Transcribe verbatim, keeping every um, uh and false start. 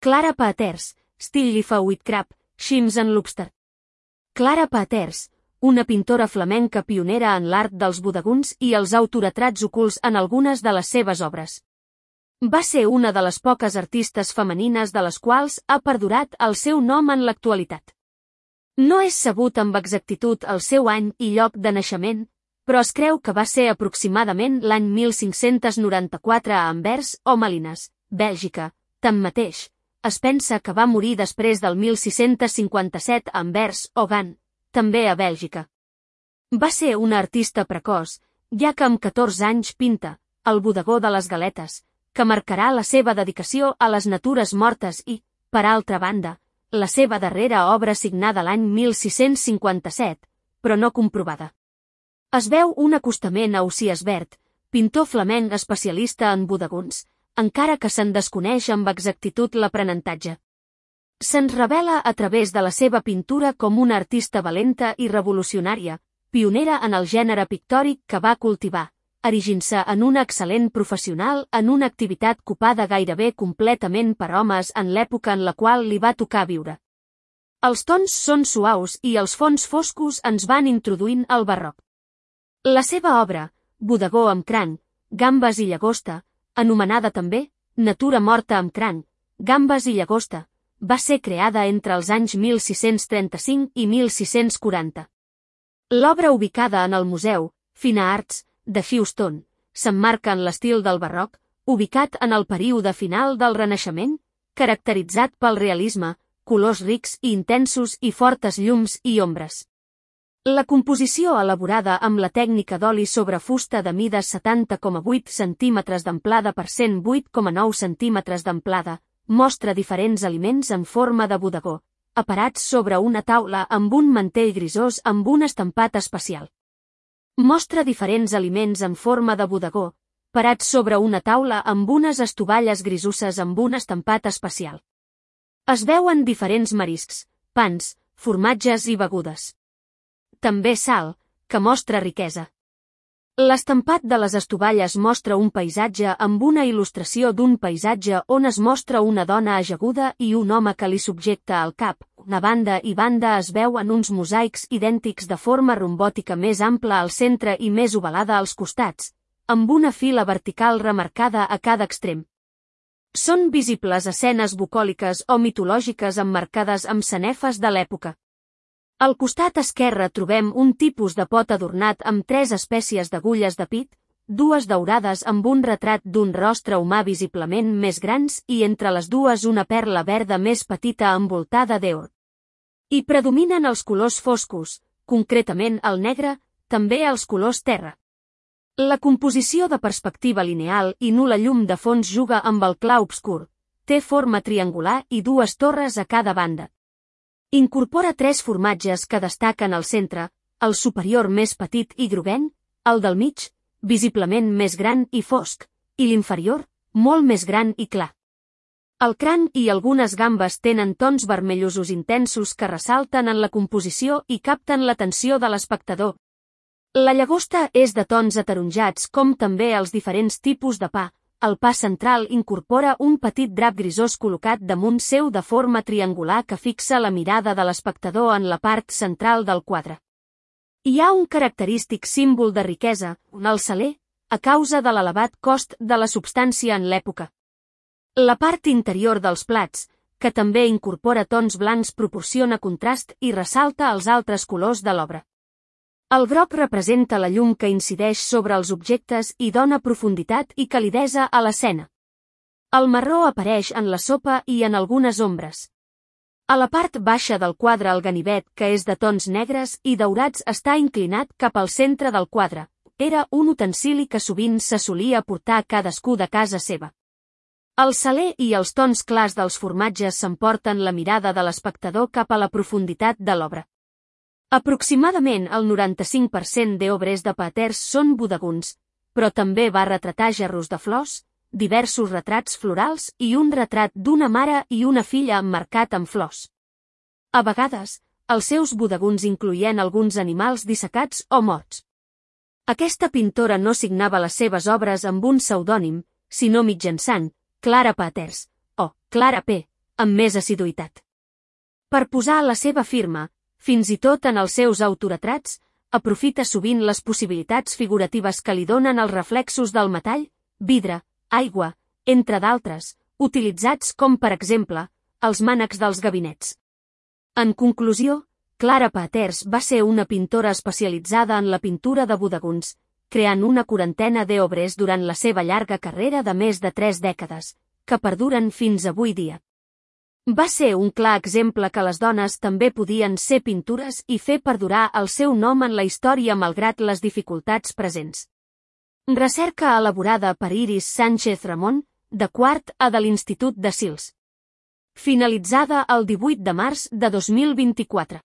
Clara Paeters, Stillifa Whitcrab, Shrimps and Lobster. Clara Paeters, una pintora flamenca pionera en l'art dels bodegons i els autoretrats ocults en algunes de les seves obres. Va ser una de les poques artistes femenines de les quals ha perdurat el seu nom en l'actualitat. No és sabut amb exactitud el seu any i lloc de naixement, però es creu que va ser aproximadament l'any mil cinc-cents noranta-quatre a Anvers o Malines, Bèlgica. Tanmateix, es pensa que va morir després del mil sis-cents cinquanta-set a Anvers o Gant, també a Bèlgica. Va ser una artista precoç, ja que amb catorze anys pinta El bodegó de les galetes, que marcarà la seva dedicació a les natures mortes i, per altra banda, la seva darrera obra signada l'any mil sis-cents cinquanta-set, però no comprovada. Es veu un acostament a Ausiàs Verd, pintor flamenc especialista en bodegons, encara que se'n desconeix amb exactitud l'aprenentatge. Se'ns revela a través de la seva pintura com una artista valenta i revolucionària, pionera en el gènere pictòric que va cultivar, erigint-se en una excel·lent professional en una activitat copada gairebé completament per homes en l'època en la qual li va tocar viure. Els tons són suaus i els fons foscos ens van introduint al barroc. La seva obra, Bodegó amb cranc, gambes i llagosta, anomenada també Natura morta amb cranc, gambes i llagosta, va ser creada entre els anys mil sis-cents trenta-cinc i mil sis-cents quaranta. L'obra ubicada en el Museu Fine Arts de Houston s'emmarca en l'estil del barroc, ubicat en el període final del Renaixement, caracteritzat pel realisme, colors rics i intensos i fortes llums i ombres. La composició elaborada amb la tècnica d'oli sobre fusta de mides setanta coma vuit centímetres d'amplada per cent vuit coma nou centímetres d'amplada mostra diferents aliments en forma de bodegó, aparats sobre una taula amb un mantell grisós amb un estampat especial. Mostra diferents aliments en forma de bodegó, parats sobre una taula amb unes estovalles grisusses amb un estampat especial. Es veuen diferents mariscs, pans, formatges i begudes. També sal, que mostra riquesa. L'estampat de les estovalles mostra un paisatge amb una il·lustració d'un paisatge on es mostra una dona ajaguda i un home que li subjecta el cap. Una banda i banda es veuen uns mosaics idèntics de forma rombòtica més ampla al centre i més ovalada als costats, amb una fila vertical remarcada a cada extrem. Són visibles escenes bucòliques o mitològiques emmarcades amb sanefes de l'època. Al costat esquerre trobem un tipus de pot adornat amb tres espècies d'agulles de pit, dues daurades amb un retrat d'un rostre humà visiblement més grans i entre les dues una perla verda més petita envoltada d'or. Hi predominen els colors foscos, concretament el negre, també els colors terra. La composició de perspectiva lineal i nul·la llum de fons juga amb el clar obscur, té forma triangular i dues torres a cada banda. Incorpora tres formatges que destaquen al centre, el superior més petit i groguenc, el del mig, visiblement més gran i fosc, i l'inferior, molt més gran i clar. El cranc i algunes gambes tenen tons vermellosos intensos que ressalten en la composició i capten l'atenció de l'espectador. La llagosta és de tons ataronjats com també els diferents tipus de pa. El pa central incorpora un petit drap grisós col·locat damunt seu de forma triangular que fixa la mirada de l'espectador en la part central del quadre. Hi ha un característic símbol de riquesa, el saler, a causa de l'elevat cost de la substància en l'època. La part interior dels plats, que també incorpora tons blancs, proporciona contrast i ressalta els altres colors de l'obra. El groc representa la llum que incideix sobre els objectes i dona profunditat i calidesa a l'escena. El marró apareix en la sopa i en algunes ombres. A la part baixa del quadre el ganivet, que és de tons negres i daurats, està inclinat cap al centre del quadre. Era un utensili que sovint se solia portar cadascú de casa seva. El saler i els tons clars dels formatges s'emporten la mirada de l'espectador cap a la profunditat de l'obra. Aproximadament el noranta-cinc per cent d'obres de Paeters són bodegons, però també va retratar gerros de flors, diversos retrats florals i un retrat d'una mare i una filla emmarcat amb flors. A vegades, els seus bodegons incloïen alguns animals dissecats o morts. Aquesta pintora no signava les seves obres amb un pseudònim, sinó mitjançant Clara Paeters, o Clara P., amb més assiduïtat. Per posar la seva firma, fins i tot en els seus autoretrats, aprofita sovint les possibilitats figuratives que li donen els reflexos del metall, vidre, aigua, entre d'altres, utilitzats com per exemple, els mànecs dels gabinets. En conclusió, Clara Paters va ser una pintora especialitzada en la pintura de bodegons, creant una quarantena d'obres durant la seva llarga carrera de més de tres dècades, que perduren fins avui dia. Va ser un clar exemple que les dones també podien ser pintores i fer perdurar el seu nom en la història malgrat les dificultats presents. Recerca elaborada per Iris Sánchez Ramón, de quart A de l'Institut de Sils. Finalitzada el divuit de març de dos mil vint-i-quatre.